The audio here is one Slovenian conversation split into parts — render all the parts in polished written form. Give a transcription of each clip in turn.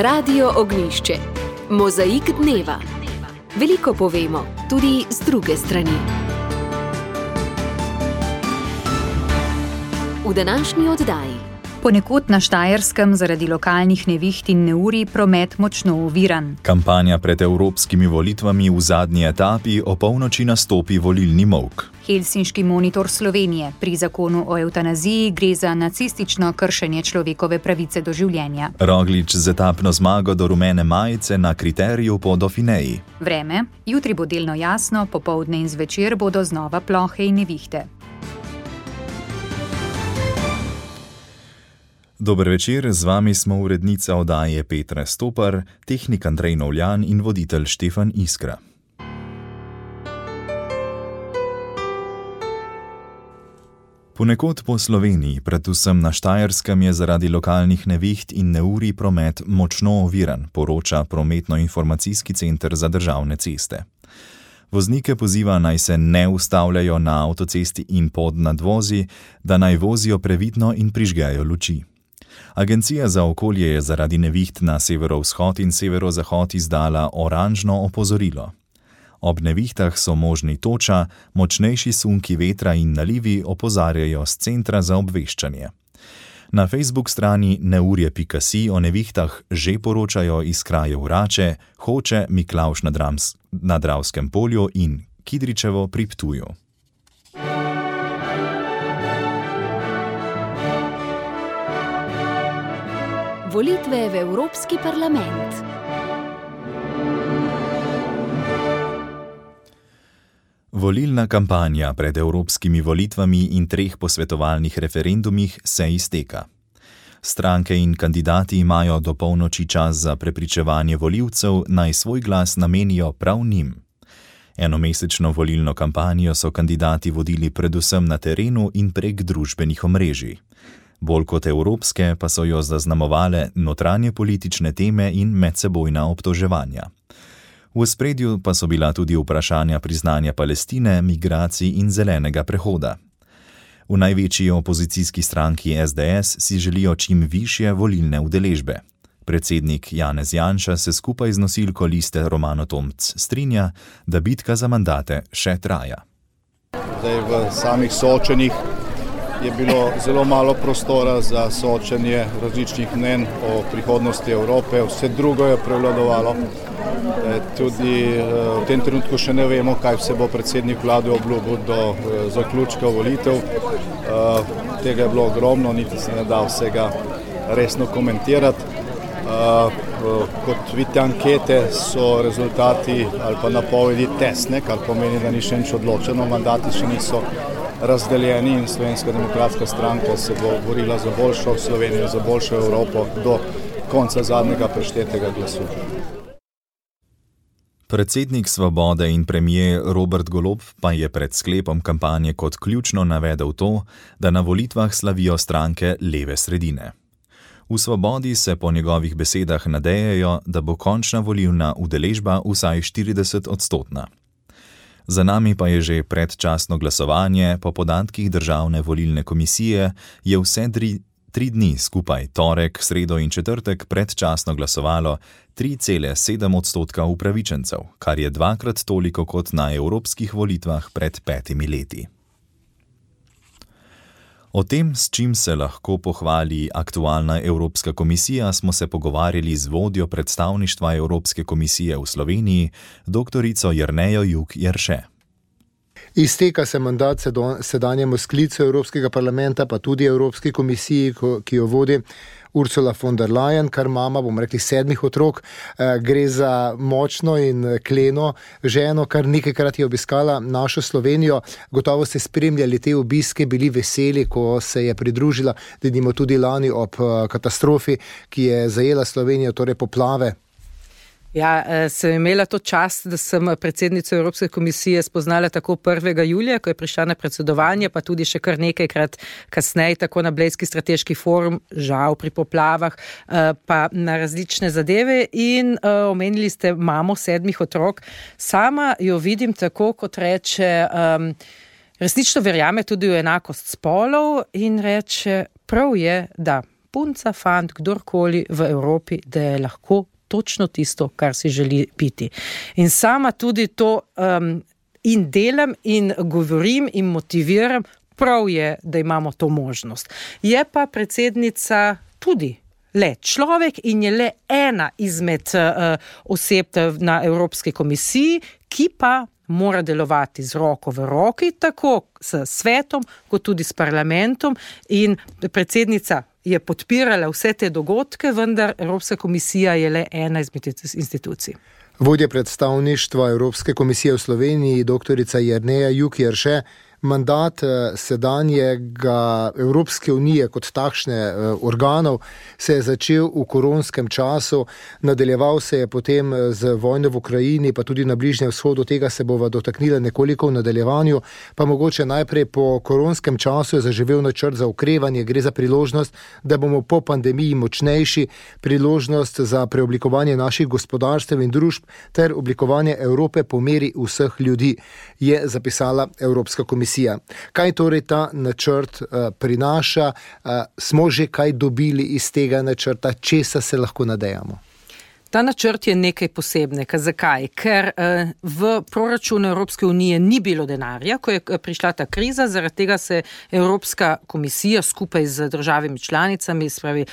Radio Ognjišče. Mozaik dneva. Veliko povemo, tudi z druge strani. V današnji oddaji. Ponekod na Štajerskem zaradi lokalnih neviht in neurij promet močno oviran. Kampanja pred evropskimi volitvami v zadnji etapi o polnoči nastopi volilni molk. Helsinški monitor Slovenije. Pri zakonu o evtanaziji gre za nacistično kršenje človekove pravice do življenja. Roglič z etapno zmago do rumene majice na kriteriju po Dauphineji. Vreme. Jutri bo delno jasno, popoldne in zvečer bodo znova plohe in nevihte. Dober večer, z vami smo urednica oddaje Petra Stopar, tehnik Andrej Novljan in voditelj Štefan Iskra. Ponekod po Sloveniji, predvsem na Štajerskem, je zaradi lokalnih neviht in neurij promet močno oviran, poroča Prometno-informacijski center za državne ceste. Voznike poziva, naj se ne ustavljajo na avtocesti in pod nadvozi, da naj vozijo previdno in prižgejo luči. Agencija za okolje je zaradi neviht na severovzhod in severozahod izdala oranžno opozorilo. Ob nevihtah so možni toča, močnejši sunki vetra in nalivi, opozarjajo s centra za obveščanje. Na Facebook strani neurje.si o nevihtah že poročajo iz krajev Rače, Hoče, Miklavž na Dravskem polju in Kidričevo pri Ptuju. Volitve v Evropski parlament. Volilna kampanja pred evropskimi volitvami in 3 posvetovalnih referendumih se izteka. Stranke in kandidati imajo do polnoči čas za prepričevanje volivcev, naj svoj glas namenijo prav njim. Enomesečno volilno kampanjo so kandidati vodili predvsem na terenu in prek družbenih omrežij. Bolj kot evropske pa so jo zaznamovale notranje politične teme in medsebojna obtoževanja. V ospredju pa so bila tudi vprašanja priznanja Palestine, migracij in zelenega prehoda. V največji opozicijski stranki SDS si želijo čim višje volilne udeležbe. Predsednik Janez Janša se skupaj z nosilko liste Romano Tomc strinja, da bitka za mandate še traja. Zdaj v samih soočenjih je bilo zelo malo prostora za soočenje različnih mnenj o prihodnosti Evrope, vse drugo je prevladovalo. Tudi v tem trenutku še ne vemo, kaj vse bo predsednik vlade obljubil do zaključka volitev. Tega je bilo ogromno, niti se ne da vsega resno komentirati. Kot vidite ankete, so rezultati ali pa napovedi tesne, kar pomeni, da ni še nič odločeno, mandati še niso razdeljeni in Slovenska demokratska stranka se bo borila za boljšo Slovenijo, za boljšo Evropo do konca zadnjega preštetega glasu. Predsednik Svobode in premier Robert Golob pa je pred sklepom kampanje kot ključno navedel to, da na volitvah slavijo stranke leve sredine. V Svobodi se po njegovih besedah nadejajo, da bo končna volilna udeležba vsaj 40-odstotna. Za nami pa je že predčasno glasovanje, po podatkih Državne volilne komisije je vse 3 dni skupaj, torek, sredo in četrtek, predčasno glasovalo 3,7% upravičencev, kar je 2-krat toliko kot na evropskih volitvah pred 5 leti. O tem, s čim se lahko pohvali aktualna Evropska komisija, smo se pogovarjali z vodjo predstavništva Evropske komisije v Sloveniji, doktorico Jernejo Juk Jerše. Izteka se mandat sedanjemu sklicu Evropskega parlamenta, pa tudi Evropski komisiji, ki jo vodi Ursula von der Leyen, kar mama, bomo rekli, 7 otrok. Gre za močno in kleno ženo, kar nekajkrat je obiskala našo Slovenijo. Gotovo ste spremljali te obiske, bili veseli, ko se je pridružila, denimo tudi lani ob katastrofi, ki je zajela Slovenijo, torej poplave. Ja, sem imela to čast, da sem predsednico Evropske komisije spoznala tako 1. julija, ko je prišla na predsedovanje, pa tudi še kar nekajkrat kasneje, tako na Blejski strateški forum, žal pri poplavah, pa na različne zadeve in omenili ste mamo 7 otrok. Sama jo vidim tako, kot reče, resnično verjame tudi v enakost spolov in reče, prav je, da punca, fant, kdorkoli v Evropi, da je lahko točno tisto, kar si želi biti. In sama tudi to in delam in govorim in motiviram, prav je, da imamo to možnost. Je pa predsednica tudi le človek in je le ena izmed oseb na Evropski komisiji, ki pa mora delovati z roko v roki, tako s svetom, kot tudi s parlamentom, in predsednica je podpirala vse te dogodke, vendar Evropska komisija je le ena izmed institucij. Vodja predstavništva Evropske komisije v Sloveniji, doktorica Jerneja Juk-Jerše, mandat sedanjega Evropske unije kot takšne organov se je začel v koronskem času, nadaljeval se je potem z vojno v Ukrajini, pa tudi na Bližnjem vzhodu, tega se bova dotaknila nekoliko v nadaljevanju, pa mogoče najprej po koronskem času je zaživel načrt za okrevanje, gre za priložnost, da bomo po pandemiji močnejši, priložnost za preoblikovanje naših gospodarstev in družb ter oblikovanje Evrope po meri vseh ljudi, je zapisala Evropska komisija. Kaj torej ta načrt prinaša? Smo že kaj dobili iz tega načrta? Česa se lahko nadejamo? Ta načrt je nekaj posebnega. Zakaj? Ker v proračunu Evropske unije ni bilo denarja, ko je prišla ta kriza, zaradi tega se Evropska komisija skupaj z državami članicami, spravi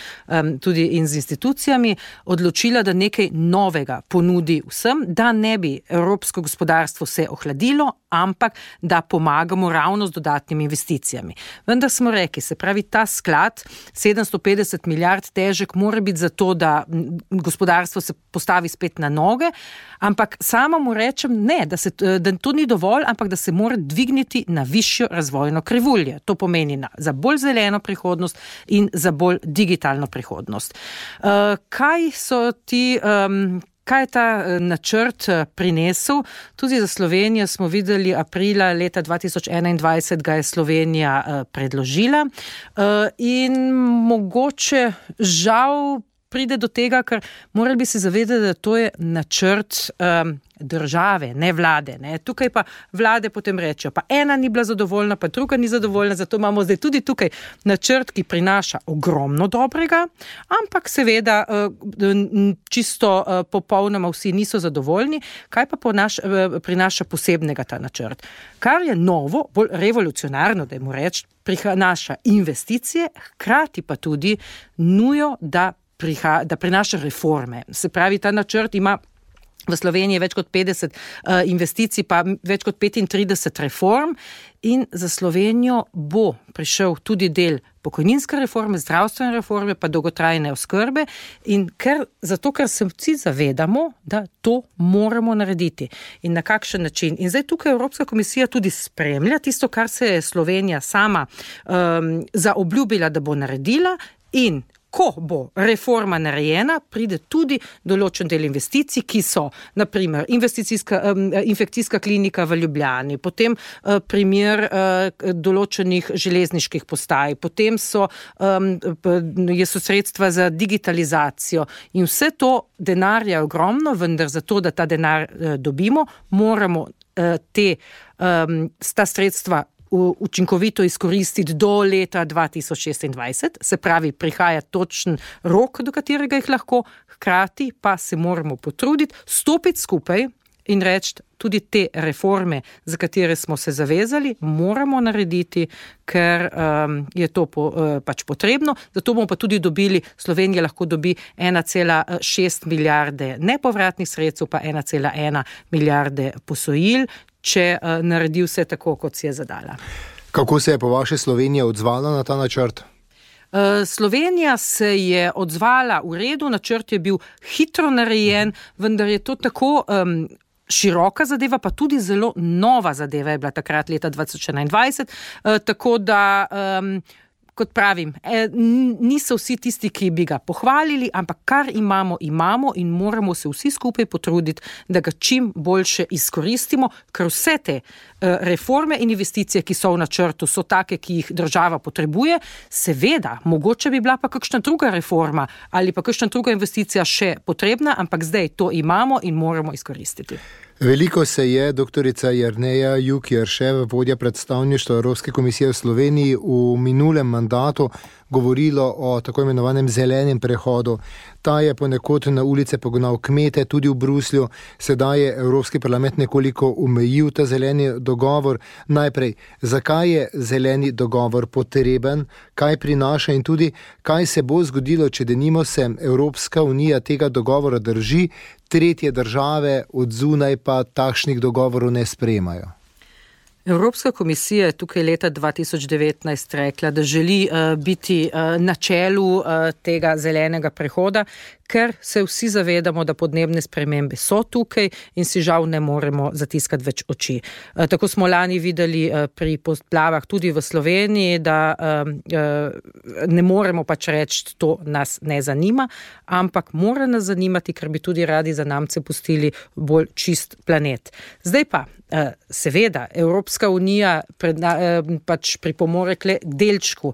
tudi in z institucijami, odločila, da nekaj novega ponudi vsem, da ne bi evropsko gospodarstvo se ohladilo, ampak da pomagamo ravno z dodatnimi investicijami. Vendar smo rekli, se pravi, ta sklad 750 milijard težek mora biti zato, da gospodarstvo se postavi spet na noge, ampak sama mu rečem ne, da to ni dovolj, ampak da se mora dvigniti na višjo razvojno krivulje. To pomeni za bolj zeleno prihodnost in za bolj digitalno prihodnost. Kaj je ta načrt prinesel? Tudi za Slovenijo smo videli aprila leta 2021, ga je Slovenija predložila in mogoče žal pride do tega, ker morali bi se zavedati, da to je načrt države, ne vlade. Ne. Tukaj pa vlade potem rečejo, pa ena ni bila zadovoljna, pa druga ni zadovoljna, zato imamo zdaj tudi tukaj načrt, ki prinaša ogromno dobrega, ampak seveda čisto popolnoma vsi niso zadovoljni. Kaj pa prinaša posebnega ta načrt? Kar je novo, bolj revolucionarno, da mu reč, prinaša investicije, hkrati pa tudi nujo, da prinaša reforme. Se pravi, ta načrt ima v Sloveniji več kot 50 investicij, pa več kot 35 reform in za Slovenijo bo prišel tudi del pokojninske reforme, zdravstvene reforme, pa dolgotrajne oskrbe in zato, ker se vsi zavedamo, da to moramo narediti in na kakšen način. In zdaj tukaj Evropska komisija tudi spremlja tisto, kar se je Slovenija sama zaobljubila, da bo naredila in ko bo reforma narejena, pride tudi določen del investicij, ki so, naprimer, infekcijska klinika v Ljubljani, potem primer določenih železniških postaj, potem so sredstva za digitalizacijo in vse to denarja je ogromno, vendar zato, da ta denar dobimo, moramo ta sredstva učinkovito izkoristiti do leta 2026, se pravi, prihaja točen rok, do katerega jih lahko, hkrati pa se moramo potruditi, stopiti skupaj in reči, tudi te reforme, za katere smo se zavezali, moramo narediti, ker je to pač potrebno. Zato bomo pa tudi dobili, Slovenija lahko dobi 1,6 milijarde nepovratnih sredstev, pa 1,1 milijarde posojil, če naredi vse tako, kot si je zadala. Kako se je po vaše Slovenija odzvala na ta načrt? Slovenija se je odzvala v redu, načrt je bil hitro narejen, vendar je to tako široka zadeva, pa tudi zelo nova zadeva je bila takrat leta 2021, tako da kot pravim, niso vsi tisti, ki bi ga pohvalili, ampak kar imamo in moramo se vsi skupaj potruditi, da ga čim boljše izkoristimo, ker vse te reforme in investicije, ki so v načrtu, so take, ki jih država potrebuje. Seveda, mogoče bi bila pa kakšna druga reforma ali pa kakšna druga investicija še potrebna, ampak zdaj to imamo in moramo izkoristiti. Veliko se je doktorica Jerneja Juk-Jerševa, vodja predstavništva Evropske komisije v Sloveniji, v minulem mandatu govorilo o tako imenovanem zelenem prehodu. Ta je ponekod na ulice pognal kmete, tudi v Bruslju. Sedaj je Evropski parlament nekoliko omejil ta zeleni dogovor. Najprej, zakaj je zeleni dogovor potreben, kaj prinaša in tudi, kaj se bo zgodilo, če denimo se Evropska unija tega dogovora drži, tretje države od zunaj pa takšnih dogovorov ne sprejemajo. Evropska komisija je tukaj leta 2019 rekla, da želi biti na čelu tega zelenega prehoda, ker se vsi zavedamo, da podnebne spremembe so tukaj in si žal ne moremo zatiskati več oči. Tako smo lani videli pri poplavah tudi v Sloveniji, da ne moremo pač reči, to nas ne zanima, ampak mora nas zanimati, ker bi tudi radi zanamce pustili bolj čist planet. Zdaj pa, seveda, Evropska unija pač pripomore k delčku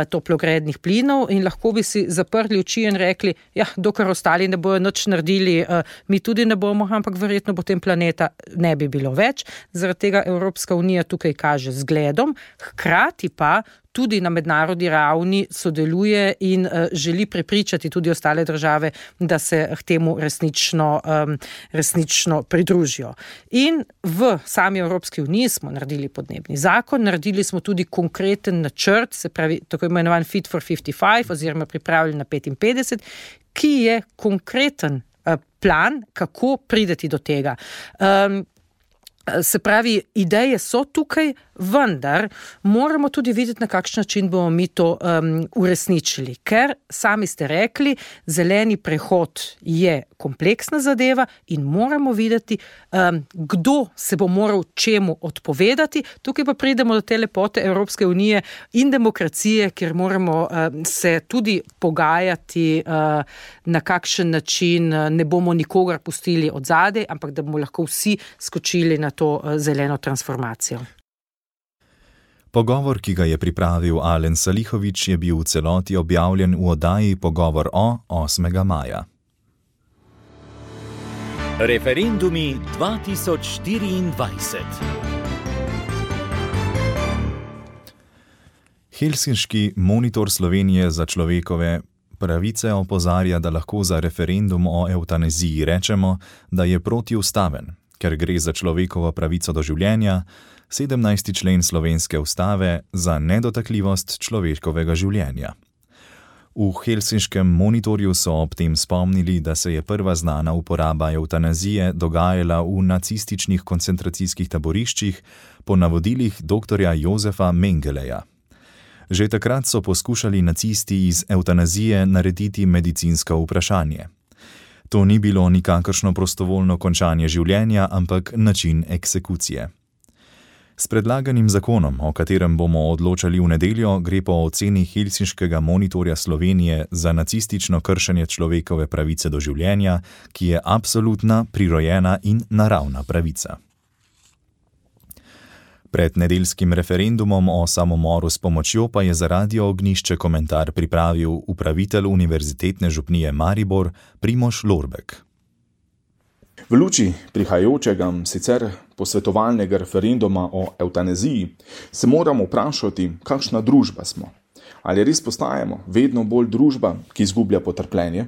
toplogrednih plinov in lahko bi si zaprli oči in rekli, ja, dokler ostali ne bojo nič naredili, mi tudi ne bomo, ampak verjetno potem planeta ne bi bilo več. Zaradi tega Evropska unija tukaj kaže zgledom, hkrati pa tudi na mednarodni ravni sodeluje in želi prepričati tudi ostale države, da se k temu resnično pridružijo. In v sami Evropski uniji smo naredili podnebni zakon, naredili smo tudi konkreten načrt, se pravi tako imenovan Fit for 55 oziroma pripravljen na 55, ki je konkreten plan, kako prideti do tega. Se pravi, ideje so tukaj, vendar moramo tudi videti, na kakšen način bomo mi to uresničili. Ker, sami ste rekli, zeleni prehod je kompleksna zadeva in moramo videti, kdo se bo moral čemu odpovedati. Tukaj pa pridemo do te lepote Evropske unije in demokracije, kjer moramo se tudi pogajati, na kakšen način ne bomo nikogar pustili od zadaj, ampak da bomo lahko vsi skočili na to zeleno transformacijo. Pogovor, ki ga je pripravil Alen Salihović, je bil v celoti objavljen v oddaji Pogovor o 8. maja. Referendumi 2024. Helsinški monitor Slovenije za človekove pravice opozarja, da lahko za referendum o evtanaziji rečemo, da je protiustaven, ker gre za človekovo pravico do življenja, 17. člen slovenske ustave za nedotakljivost človekovega življenja. V helsinškem monitorju so ob tem spomnili, da se je prva znana uporaba evtanazije dogajala v nacističnih koncentracijskih taboriščih po navodilih dr. Josefa Mengeleja. Že takrat so poskušali nacisti iz evtanazije narediti medicinsko vprašanje. To ni bilo nikakršno prostovoljno končanje življenja, ampak način eksekucije. S predlaganim zakonom, o katerem bomo odločali v nedeljo, gre po oceni helsinškega monitorja Slovenije za nacistično kršenje človekove pravice do življenja, ki je absolutna, prirojena in naravna pravica. Pred nedeljskim referendumom o samomoru s pomočjo pa je za Radio Ognjišče komentar pripravil upravitelj Univerzitetne župnije Maribor Primož Lorbek. V luči prihajajočega sicer posvetovalnega referenduma o evtanaziji se moramo vprašati, kakšna družba smo. Ali res postajamo vedno bolj družba, ki izgublja potrpljenje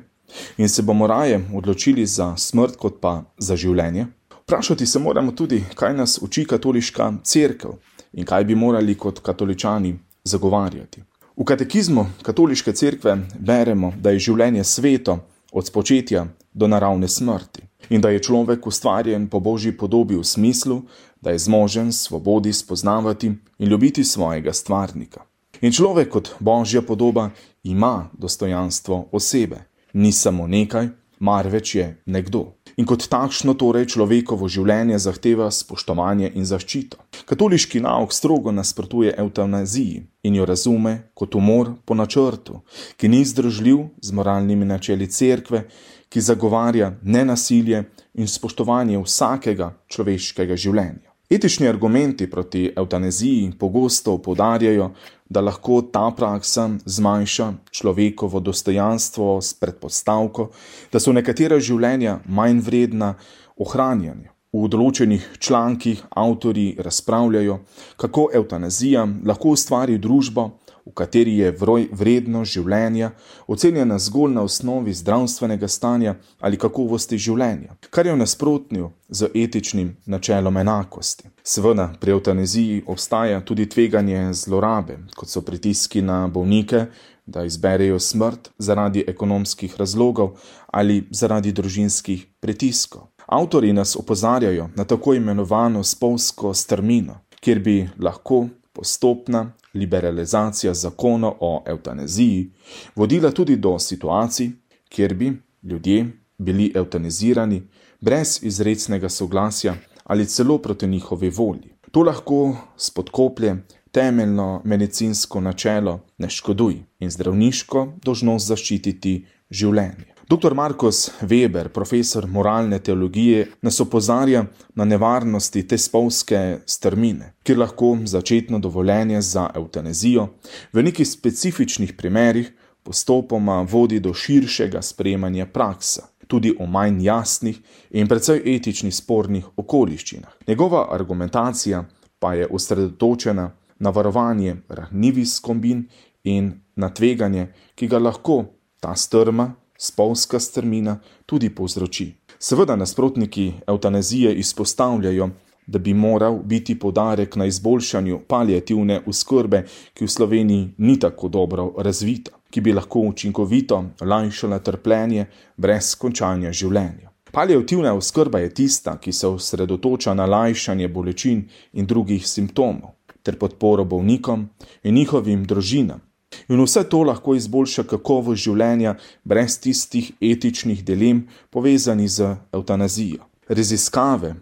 in se bomo raje odločili za smrt kot pa za življenje? Vprašati se moramo tudi, kaj nas uči katoliška cerkev in kaj bi morali kot katoličani zagovarjati. V katekizmu katoliške cerkve beremo, da je življenje sveto od spočetja do naravne smrti in da je človek ustvarjen po Božji podobi v smislu, da je zmožen svobodi spoznavati in ljubiti svojega stvarnika. In človek kot Božja podoba ima dostojanstvo osebe, ni samo nekaj, marveč je nekdo. In kot takšno torej človekovo življenje zahteva spoštovanje in zaščito. Katoliški nauk strogo nasprotuje evtanaziji in jo razume kot umor po načrtu, ki ni združljiv z moralnimi načeli cerkve, ki zagovarja nenasilje in spoštovanje vsakega človeškega življenja. Etični argumenti proti evtanaziji pogosto poudarjajo, da lahko ta praksa zmanjša človekovo dostojanstvo s predpostavko, da so nekatera življenja manj vredna ohranjanja. V določenih člankih avtorji razpravljajo, kako evtanazija lahko ustvari družbo, v kateri je vrednost življenja ocenjena zgolj na osnovi zdravstvenega stanja ali kakovosti življenja, kar je v nasprotju z etičnim načelom enakosti. Seveda, pri evtanaziji obstaja tudi tveganje zlorabe, kot so pritiski na bolnike, da izberejo smrt zaradi ekonomskih razlogov ali zaradi družinskih pritiskov. Avtorji nas opozarjajo na tako imenovano spolzko strmino, kjer bi lahko postopna liberalizacija zakona o evtanaziji vodila tudi do situacij, kjer bi ljudje bili evtanazirani brez izrecnega soglasja ali celo proti njihovi volji. To lahko spodkoplje temeljno medicinsko načelo ne škoduj in zdravniško dolžnost zaščititi življenje. Dr. Markus Weber, profesor moralne teologije, nas opozarja na nevarnosti te spolzke strmine, kjer lahko začetno dovoljenje za evtanazijo v nekih specifičnih primerih postopoma vodi do širšega sprejemanja praksa, tudi o manj jasnih in precej etičnih spornih okoliščinah. Njegova argumentacija pa je osredotočena na varovanje ranljivih skupin in na tveganje, ki ga lahko ta strma, spolzka strmina tudi povzroči. Seveda nasprotniki evtanazije izpostavljajo, da bi moral biti poudarek na izboljšanju paliativne oskrbe, ki v Sloveniji ni tako dobro razvita, ki bi lahko učinkovito lajšala trpljenje brez končanja življenja. Paliativna oskrba je tista, ki se osredotoča na lajšanje bolečin in drugih simptomov, ter podporo bolnikom in njihovim družinam. In vse to lahko izboljša kakovost življenja brez tistih etičnih dilem povezanih z evtanazijo. Raziskave,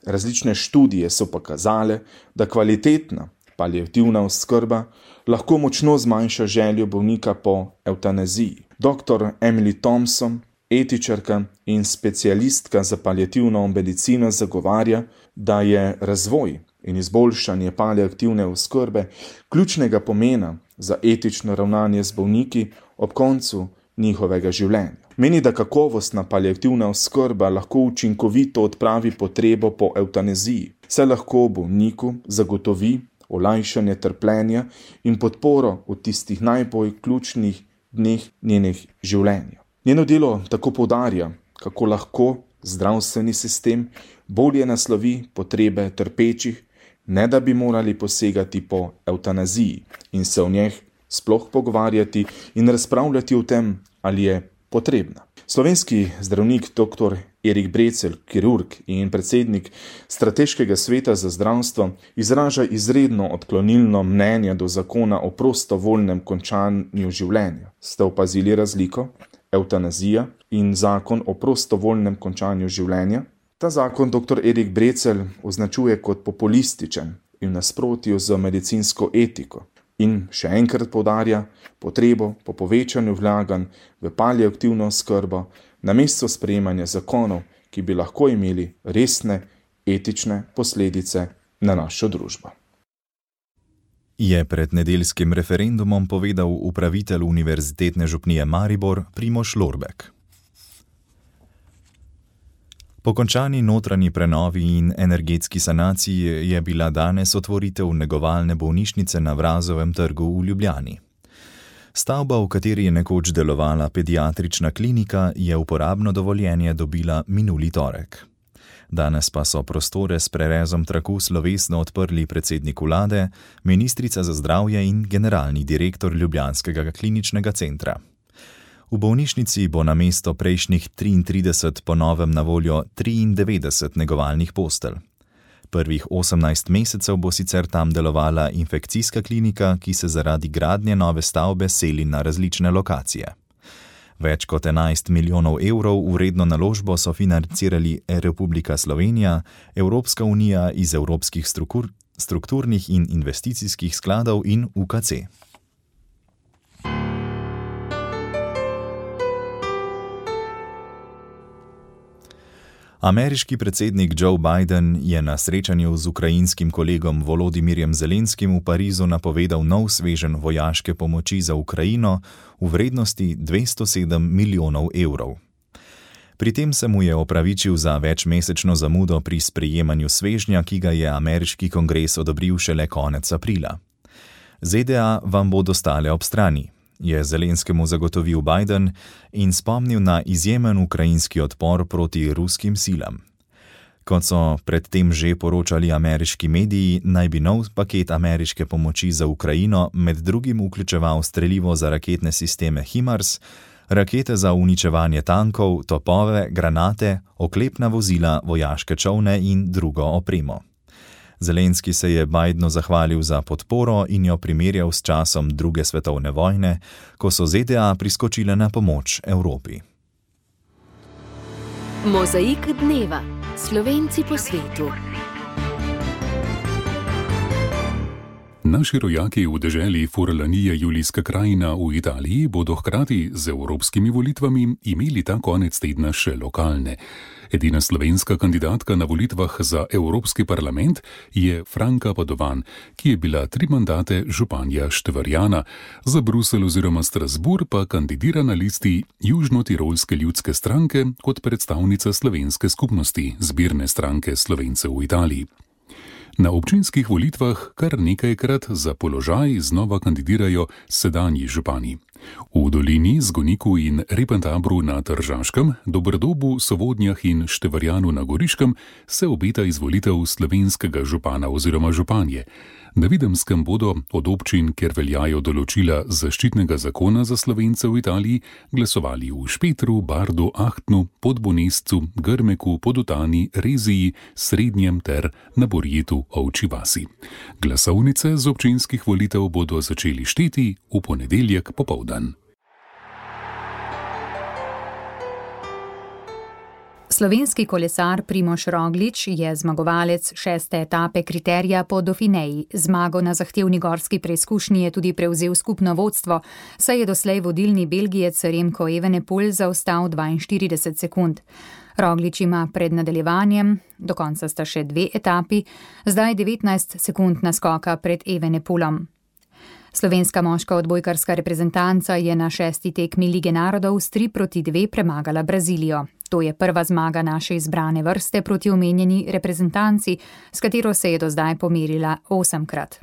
različne študije so pokazale, da kvalitetna paliativna oskrba lahko močno zmanjša željo bolnika po evtanaziji. Dr. Emily Thompson, etičarka in specialistka za paliativno medicino, zagovarja, da je razvoj in izboljšanje paliativne oskrbe ključnega pomena za etično ravnanje z bolniki ob koncu njihovega življenja. Meni, da kakovostna paliativna oskrba lahko učinkovito odpravi potrebo po evtanaziji, saj lahko bolniku zagotovi olajšanje trpljenja in podporo v tistih najbolj ključnih dneh njenih življenja. Njeno delo tako poudarja, kako lahko zdravstveni sistem bolje naslovi potrebe trpečih, ne da bi morali posegati po evtanaziji in se o njej sploh pogovarjati in razpravljati o tem, ali je potrebna. Slovenski zdravnik dr. Erik Brecelj, kirurg in predsednik Strateškega sveta za zdravstvo, izraža izredno odklonilno mnenje do zakona o prostovoljnem končanju življenja. Ste opazili razliko? Evtanazija in zakon o prostovoljnem končanju življenja? Ta zakon dr. Erik Brecelj označuje kot populističen in v nasprotju z medicinsko etiko in še enkrat poudarja potrebo po povečanju vlaganj v paliativno oskrbo namesto sprejemanja zakonov, ki bi lahko imeli resne etične posledice na našo družbo. Je pred nedeljskim referendumom povedal upravitelj Univerzitetne župnije Maribor Primož Lorbek. Po končani notranji prenovi in energetski sanaciji je bila danes otvoritev negovalne bolnišnice na Vrazovem trgu v Ljubljani. Stavba, v kateri je nekoč delovala pediatrična klinika, je uporabno dovoljenje dobila minuli torek. Danes pa so prostore s prerezom traku slovesno odprli predsednik vlade, ministrica za zdravje in generalni direktor ljubljanskega kliničnega centra. V bolnišnici bo namesto prejšnjih 33 po novem na voljo 93 negovalnih postelj. Prvih 18 mesecev bo sicer tam delovala infekcijska klinika, ki se zaradi gradnje nove stavbe seli na različne lokacije. Več kot 11 milijonov evrov vredno naložbo so financirali Republika Slovenija, Evropska unija iz evropskih strukturnih in investicijskih skladov in UKC. Ameriški predsednik Joe Biden je na srečanju z ukrajinskim kolegom Volodimirjem Zelenskim v Parizu napovedal nov sveženj vojaške pomoči za Ukrajino v vrednosti 207 milijonov evrov. Pri tem se mu je opravičil za večmesečno zamudo pri sprejemanju svežnja, ki ga je ameriški kongres odobril šele konec aprila. ZDA vam bodo stale ob strani, je Zelenskemu zagotovil Biden in spomnil na izjemen ukrajinski odpor proti ruskim silam. Kot so predtem že poročali ameriški mediji, naj bi nov paket ameriške pomoči za Ukrajino med drugim vključeval strelivo za raketne sisteme HIMARS, rakete za uničevanje tankov, topove, granate, oklepna vozila, vojaške čolne in drugo opremo. Zelenski se je Bidenu zahvalil za podporo in jo primerjal s časom druge svetovne vojne, ko so ZDA priskočile na pomoč Evropi. Mozaik dneva. Slovenci po svetu. Naši rojaki v deželi Furlanija Julijska krajina v Italiji bodo hkrati z evropskimi volitvami imeli ta konec tedna še lokalne. Edina slovenska kandidatka na volitvah za Evropski parlament je Franka Padovan, ki je bila 3 mandate županja Štvarjana. Za Bruselj oziroma Strasbourg pa kandidira na listi Južno-Tirolske ljudske stranke kot predstavnica slovenske skupnosti, zbirne stranke Slovencev v Italiji. Na občinskih volitvah kar nekajkrat za položaj znova kandidirajo sedanji župani. V Dolini, Zgoniku in Repentabru na Tržaškem, Dobrodobu, Sovodnjah in Števarjanu na Goriškem se obeta izvolitev slovenskega župana oziroma županje. Na Videmskem bodo od občin, kjer veljajo določila zaščitnega zakona za Slovence v Italiji, glasovali v Špetru, Bardu, Ahtnu, Podbonescu, Grmeku, Podutani, Reziji, Srednjem ter na Borjetu, Ovčji vasi. Glasovnice z občinskih volitev bodo začeli šteti v ponedeljek popoldan. Slovenski kolesar Primož Roglič je zmagovalec 6. etape kriterija po Dauphineji. Zmago na zahtevni gorski preizkušnji je tudi prevzel skupno vodstvo, saj je doslej vodilni Belgijec Remco Evenepoel zaostal 42 sekund. Roglič ima pred nadaljevanjem, do konca sta še 2 etapi, zdaj 19 sekund naskoka pred Evenepoelom. Slovenska moška odbojkarska reprezentanca je na 6. tekmi Lige narodov s 3-2 premagala Brazilijo. To je prva zmaga naše izbrane vrste proti omenjeni reprezentanci, s katero se je do zdaj pomerila 8-krat.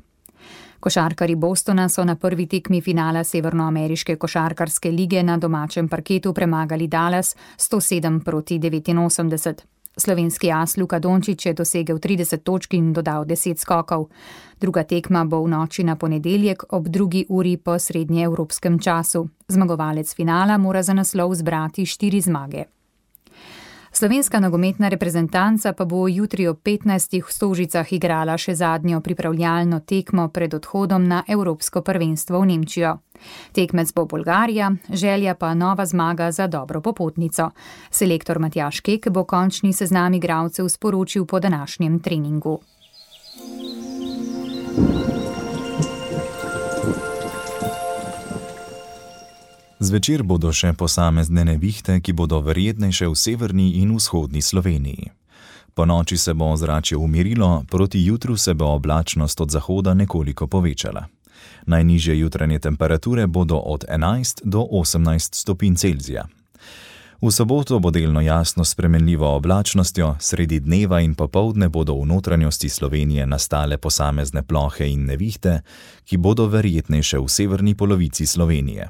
Košarkarji Bostona so na prvi tekmi finala Severnoameriške košarkarske lige na domačem parketu premagali Dallas 107-89. Slovenski as Luka Dončić je dosegel 30 točk in dodal 10 skokov. Druga tekma bo v noči na ponedeljek ob 2. uri po srednjeevropskem času. Zmagovalec finala mora za naslov zbrati 4 zmage. Slovenska nogometna reprezentanca pa bo jutri ob 15. v Stožicah igrala še zadnjo pripravljalno tekmo pred odhodom na Evropsko prvenstvo v Nemčijo. Tekmec bo Bolgarija, želja pa nova zmaga za dobro popotnico. Selektor Matjaž Kek bo končni seznam igralcev sporočil po današnjem treningu. Zvečer bodo še posamezne nevihte, ki bodo verjetnejše v severni in vzhodni Sloveniji. Po noči se bo ozračje umirilo, proti jutru se bo oblačnost od zahoda nekoliko povečala. Najnižje jutranje temperature bodo od 11 do 18 stopinj Celzija. V soboto bo delno jasno s spremenljivo oblačnostjo, sredi dneva in popoldne bodo v notranjosti Slovenije nastale posamezne plohe in nevihte, ki bodo verjetnejše v severni polovici Slovenije.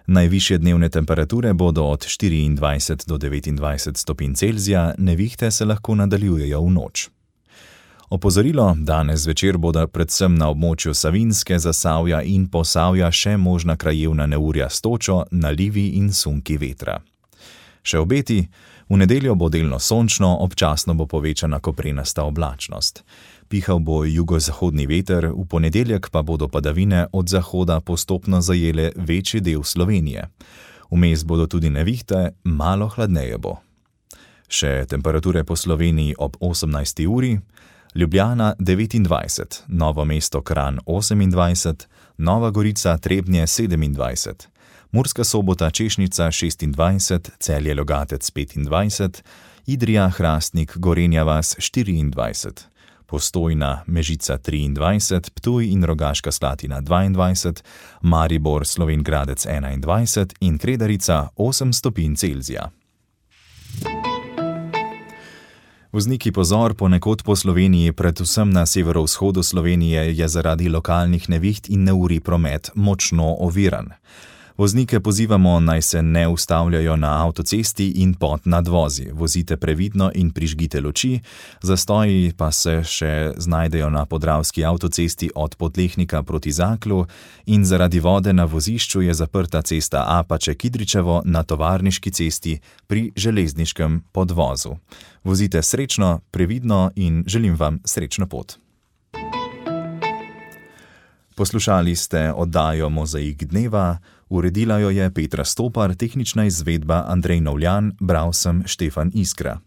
Najvišje dnevne temperature bodo od 24 do 29 stopinj Celzija, nevihte se lahko nadaljujejo v noč. Opozorilo, danes zvečer bodo predvsem na območju Savinjske, Zasavja in Posavja še možna krajevna neurja s točo, nalivi in sunki vetra. Še obeti, v nedeljo bo delno sončno, občasno bo povečana koprenasta oblačnost. Pihal bo jugozahodni veter, v ponedeljek pa bodo padavine od zahoda postopno zajele večji del Slovenije. Vmes bodo tudi nevihte, malo hladneje bo. Še temperature po Sloveniji ob 18. uri, Ljubljana 29, Novo mesto Kranj 28, Nova Gorica Trebnje 27, Murska Sobota Češnica 26, Celje Logatec 25, Idrija Hrastnik Gorenja vas 24, Postojna Mežica 23, Ptuj in Rogaška Slatina 22, Maribor Slovenj Gradec 21 in Kredarica 8 stopinj Celzija. Vozniki pozor, ponekod po Sloveniji, predvsem na severovzhodu Slovenije, je zaradi lokalnih neviht in neurij promet močno oviran. Voznike pozivamo, naj se ne ustavljajo na avtocesti in pod nadvozi. Vozite previdno in prižgite luči, zastoji pa se še znajdejo na podravski avtocesti od Podlehnika proti Zaklu in zaradi vode na vozišču je zaprta cesta Apače-Kidričevo na Tovarniški cesti pri železniškem podvozu. Vozite srečno, previdno in želim vam srečno pot. Poslušali ste oddajo Mozaik dneva, uredila jo je Petra Stopar, tehnična izvedba Andrej Novljan, bral sem Štefan Iskra.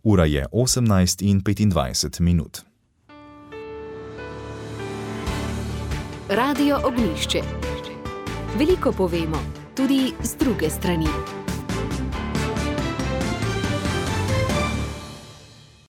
Ura je 18:25. Radio Ognjišče. Veliko povemo, tudi z druge strani.